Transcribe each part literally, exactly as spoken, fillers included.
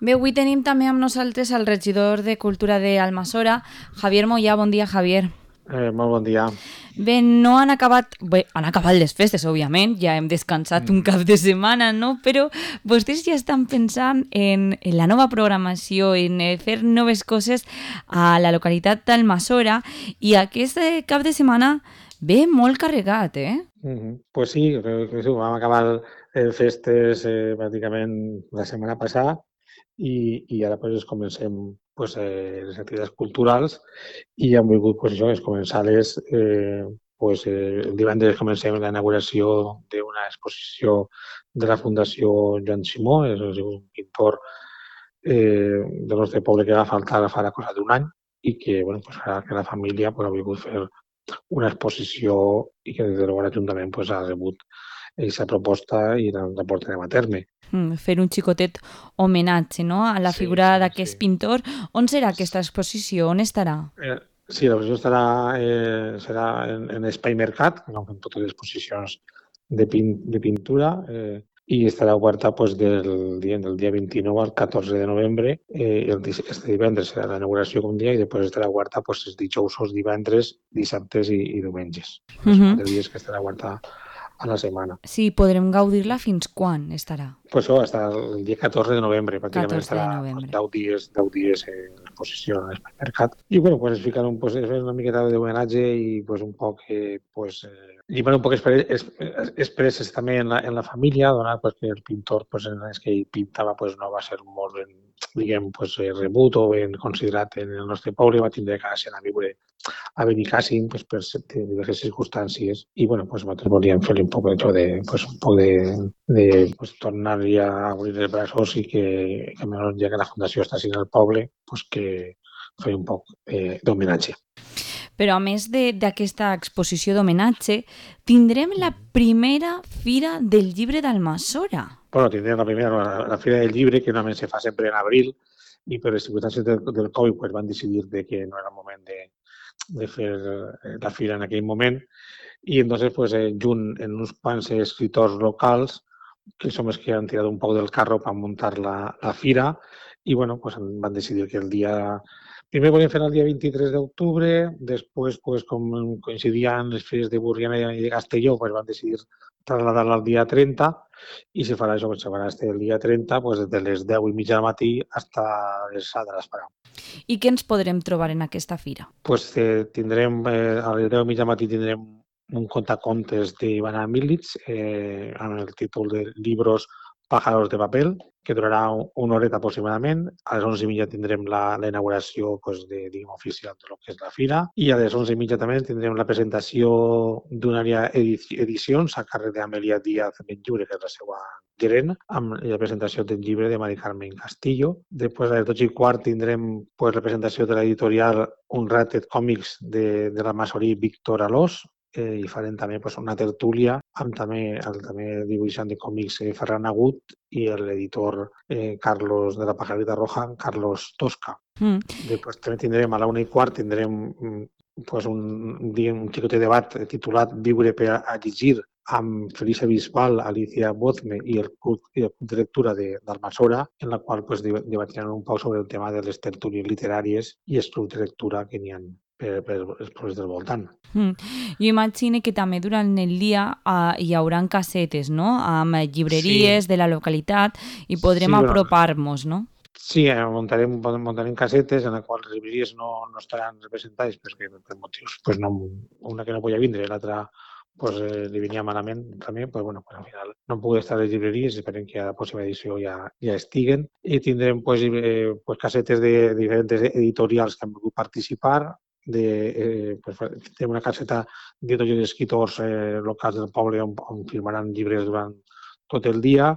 Bé, avui tenim també amb nosaltres el regidor de Cultura d'Almassora, Javier Moyà. Bon dia, Javier. Eh, molt bon dia. Bé, no han acabat... Bé, han acabat les festes, òbviament, ja hem descansat un cap de setmana, no? Però vostès ja estan pensant en, en la nova programació, en eh, fer noves coses a la localitat d'Almassora, i aquest eh, cap de setmana ve molt carregat, eh? Mm -hmm. Pues sí, creo que sí, vam acabar eh, festes eh, pràcticament la setmana passada i, i ara pues, comencem pues, eh, les activitats culturals i hem volgut pues, això, és començar-les eh, pues, eh, el divendres comencem la inauguració d'una exposició de la Fundació Joan Simó, és, és un pintor eh, del nostre poble que va faltar farà cosa d'un any i que, bueno, pues, ara que la família pues, ha volgut fer una exposició i que des de l'Ajuntament pues, ha rebut aquesta proposta i la, la portarem a terme. Mm, fer un xicotet homenatge, no?, a la Sí, figura sí, d'aquest sí. pintor. On serà aquesta exposició? On estarà? Eh, sí, l'exposició estarà, eh, serà en, en Espai Mercat, que no fem totes les exposicions de, pin, de pintura, eh, i estarà oberta pues, del, dia, del dia vint-i-nou al catorze de novembre. Eh, el, este divendres serà la inauguració com dia i després estarà oberta pues, els dijous, divendres, dissabtes i, i diumenges. Els Mhm. quatre dies que estarà oberta a la setmana. Sí, podrem gaudir-la fins quan estarà? Pues això, hasta el dia catorze de novembre, pràcticament catorze de estarà pues, novembre. deu dies, deu dies en exposició en l'Espai Mercat. I bueno, pues es fican un, pues, es una miqueta d'homenatge i pues, un poc eh, pues, eh, llibar un poc expresses també en la, en la família, donat pues, que el pintor pues, en els que ell pintava pues, no va ser molt ben, diguem, pues, rebut o ben considerat en el nostre poble, va tindre que anar a viure a Benicàssim pues, per diverses circumstàncies i bueno, pues, nosaltres volíem fer un poc això de, pues, un poc de, de pues, tornar ja a obrir els braços i que, que menys ja que la Fundació està sent al poble, pues, que fer un poc eh, d'homenatge. Però a més d'aquesta exposició d'homenatge, tindrem la primera Fira del Llibre d'Almassora. Bueno, tindrem la primera, la, la Fira del Llibre, que normalment se fa sempre en abril, i per les circumstàncies del, del Covid pues, van decidir de que no era el moment de, de fer la fira en aquell moment. I entonces, pues, eh, junt en uns quants escriptors locals, que som els que han tirat un poc del carro per muntar la, la fira, i bueno, pues, van decidir que el dia... Primer volíem fer el dia vint-i-tres d'octubre, després, pues, com coincidien les fires de Burriana i de Castelló, pues, van decidir trasladar-la al dia trenta i se farà això, se farà el dia trenta pues, des de les deu i mitja del matí fins a les set de l'esperà. I què ens podrem trobar en aquesta fira? Pues, eh, tindrem, eh, a les deu i mitja del matí tindrem un contacontes d'Ivana Militz eh, amb el títol de Libros Pájaros de Papel, que durarà una horeta aproximadament. A les onze i mitja tindrem la, la inauguració pues, de, diguem, oficial de lo que és la fira i a les onze i mitja també tindrem la presentació d'una àrea edicions a càrrec d'Amelia Díaz Benlliure, que és la seva gerent, amb la presentació del llibre de Mari Carmen Castillo. Després, a les dotze i quart, tindrem pues, la presentació de l'editorial Unrated Còmics de, de la Massorí Víctor Alós, eh, i farem també pues, una tertúlia amb també el també dibuixant de còmics eh, Ferran Agut i l'editor eh, Carlos de la Pajarita Roja, Carlos Tosca. Mm. Després també tindrem a la una i quart tindrem pues, un, un xicotet debat titulat Viure per a llegir amb Felisa Bisbal, Alicia Bozme i el club, i el club de lectura d'Almassora, en la qual pues, debatiran un poc sobre el tema de les tertúlies literàries i els clubs de lectura que n'hi ha per, per els pobles del voltant. Mm. Jo imagino que també durant el dia uh, hi haurà casetes, no?, amb llibreries sí. de la localitat i podrem sí, apropar-nos, no? Sí, muntarem, muntarem casetes en les quals les llibreries no, no estaran representades perquè per motius, pues no, una que no podia vindre, l'altra pues, eh, li venia malament també, pues, bueno, pues, al final no han pogut estar les llibreries, esperem que a la pròxima edició ja, ja estiguen i tindrem pues, eh, pues, casetes de diferents editorials que han volgut participar, de, eh, pues, tenim una caseta d'editors i escriptors eh, locals del poble on, on firmaran llibres durant tot el dia.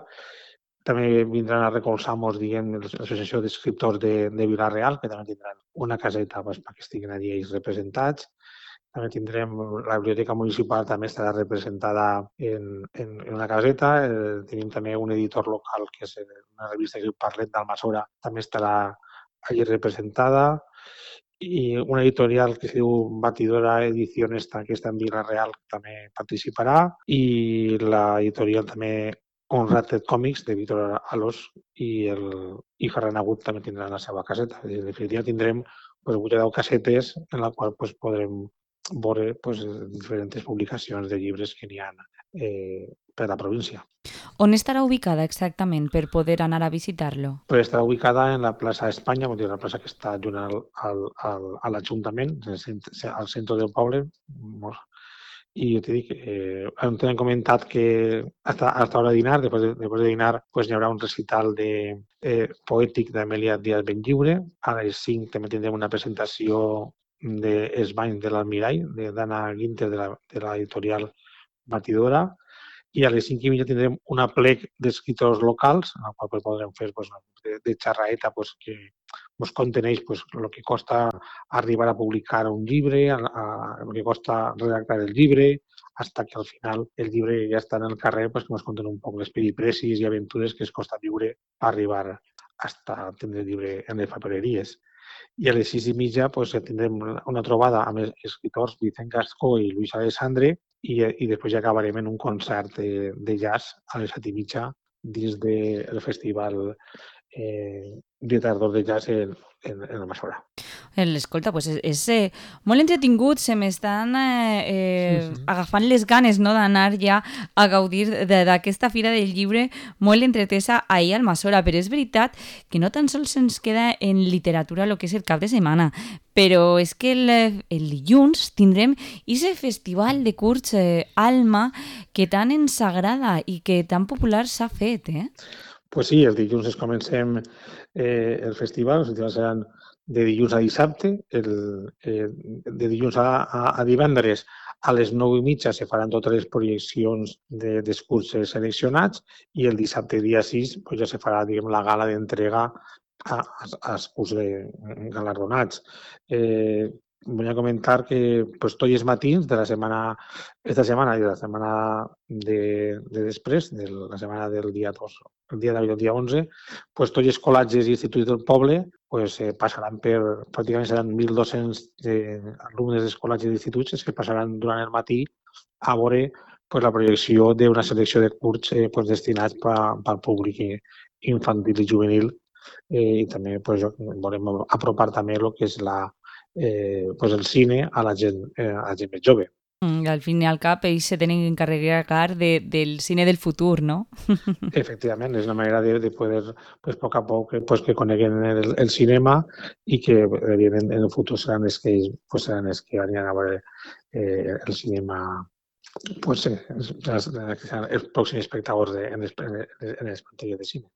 També vindran a recolzar-nos, diguem, l'associació d'escriptors de, de Vila-real, que també tindran una caseta pues, perquè estiguin allí ells representats. També tindrem la biblioteca municipal, també estarà representada en, en, en una caseta. Eh, tenim també un editor local, que és una revista que diu Parlet d'Almassora, també estarà allí representada. I una editorial que es diu Batidora Ediciones, que està en Vila-real, també participarà. I l'editorial també un Rated Còmics de Víctor Alós i, el, i Ferran Agut també tindran la seva caseta. En definitiva tindrem pues, vuit o deu casetes en la qual pues, podrem veure pues, diferents publicacions de llibres que n'hi ha eh, per la província. On estarà ubicada exactament per poder anar a visitar-lo? Pues estarà ubicada en la plaça Espanya, vol dir, la plaça que està junt al, al, al, a l'Ajuntament, al centre del poble. I jo t'he dit que eh, hem comentat que hasta, hasta hora de dinar, després de, després de dinar, pues, hi haurà un recital de, eh, poètic d'Amèlia Díaz Benlliure. A les cinc també tindrem una presentació d'Esbany de l'Almirall, d'Anna Guinter, de l'editorial Batidora. I a les cinc i mitja tindrem un aplec d'escriptors locals, en el qual podrem fer pues, de, de xerraeta pues, que ens conteneix pues, el que costa arribar a publicar un llibre, a, a, el que costa redactar el llibre, fins que al final el llibre ja està en el carrer, pues, que ens conten un poc les peripècies i aventures que es costa viure per arribar a tindre el llibre en les papereries. I a les sis i mitja pues, tindrem una trobada amb els escriptors Vicent Gascó i Luis Alessandre, i, i després ja acabarem en un concert de, de jazz a les set i mitja dins del festival eh, de tardor de jazz en, en, en el Masora. Escolta, pues és, és eh, molt entretingut, se m'estan eh, eh, sí, sí. agafant les ganes, no?, d'anar ja a gaudir d'aquesta Fira del Llibre molt entretesa ahir al Masora, però és veritat que no tan sols ens queda en literatura el que és el cap de setmana, però és que el, el dilluns tindrem aquest festival de curts eh, Alma que tant ens agrada i que tan popular s'ha fet, eh? Pues sí, el dilluns es comencem eh, el festival, els festivals seran de dilluns a dissabte, el, eh, de dilluns a, a, a divendres a les nou i mitja se faran totes les projeccions de, dels cursos seleccionats i el dissabte dia sis pues, ja se farà diguem, la gala d'entrega als cursos galardonats. Eh, vull comentar que pues, tots els matins de la setmana, esta setmana i de la setmana de, de després, de la setmana del dia dos, el dia d'avui, el dia onze, pues, tots els col·legis i instituts del poble pues, eh, passaran per, pràcticament seran mil dos-cents eh, alumnes dels col·legis i instituts que passaran durant el matí a veure pues, la projecció d'una selecció de curts eh, pues, destinats pel públic infantil i juvenil eh, i també pues, volem apropar també el que és la, eh, pues, el cine a la gent, eh, a la gent més jove. Mm, al fin i al cap, ells se tenen que encarregar de, del cine del futur, no? Efectivament, és una manera de, de poder, pues, a poc a poc, pues, que coneguen el, el cinema i que, evidentment, en el futur seran els que, pues, seran els que aniran a veure eh, el cinema, pues, eh, els pròxims espectadors de, en, les, en les pantalles de cine.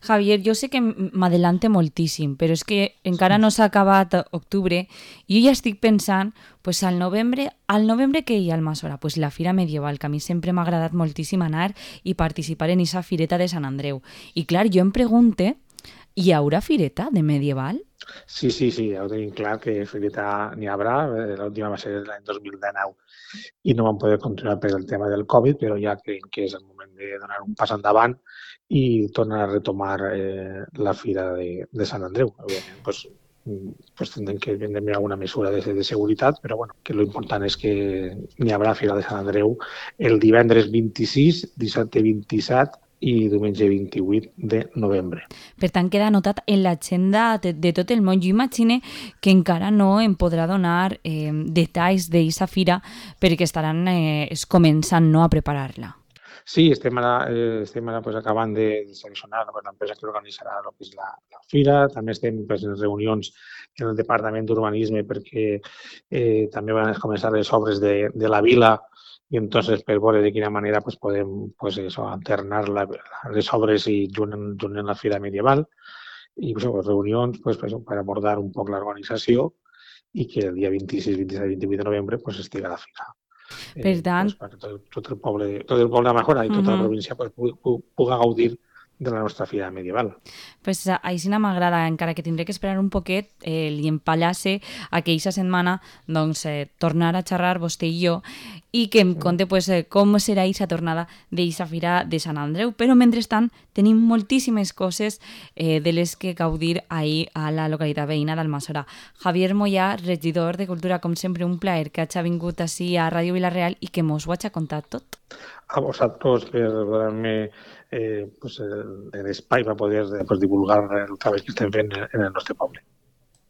Javier, jo sé que m'adelante moltíssim, però és que encara no s'ha acabat octubre i jo ja estic pensant pues, al novembre, al novembre que hi ha al Masora, pues, la Fira Medieval, que a mi sempre m'ha agradat moltíssim anar i participar en aquesta fireta de Sant Andreu. I clar, jo em pregunte, hi haurà fireta de medieval? Sí, sí, sí, ja ho tenim clar que fireta n'hi haurà. L'última va ser l'any dos mil dinou i no vam poder continuar per el tema del Covid, però ja creiem que és el moment de donar un pas endavant i tornar a retomar eh, la Fira de, de Sant Andreu. Òbviament, pues, pues tindrem que prendre alguna mesura de, de seguretat, però bueno, que l'important és que n'hi haurà Fira de Sant Andreu el divendres vint-i-sis, dissabte vint-i-set i diumenge vint-i-vuit de novembre. Per tant, queda anotat en l'agenda de, de tot el món. Jo imagine que encara no em podrà donar eh, detalls d'aquesta fira perquè estaran eh, començant no, a preparar-la. Sí, estem ara, eh, estem ara pues, acabant de seleccionar l'empresa que organitzarà el que és la, la fira. També estem pues, en reunions en el Departament d'Urbanisme perquè eh, també van començar les obres de, de la vila i entonces per veure de quina manera pues, podem pues, eso, alternar la, les obres i junt, junt en la Fira Medieval i pues, reunions pues, pues, per abordar un poc l'organització i que el dia vint-i-sis, vint-i-set i vint-i-vuit de novembre pues, estigui a la fira. Per tant... Eh, pues, tot, tot, el poble, tot el poble de Majora i tota uh-huh. la província pues, pugui gaudir de la nostra fira medieval. Pues així m'agrada, encara que tindré que esperar un poquet, eh, li empallase a que aquesta setmana doncs, eh, tornar a xerrar vostè i jo i que em conte pues, eh, com serà aquesta tornada d'aquesta fira de Sant Andreu. Però mentrestant tenim moltíssimes coses eh, de les que gaudir ahir a la localitat veïna d'Almassora. Javier Moyà, regidor de Cultura, com sempre un plaer que hagi vingut així a Ràdio Vila-real i que mos ho hagi contat tot. A vosaltres per donar-me eh, pues, l'espai per poder pues, divulgar el treball que estem fent en el nostre poble.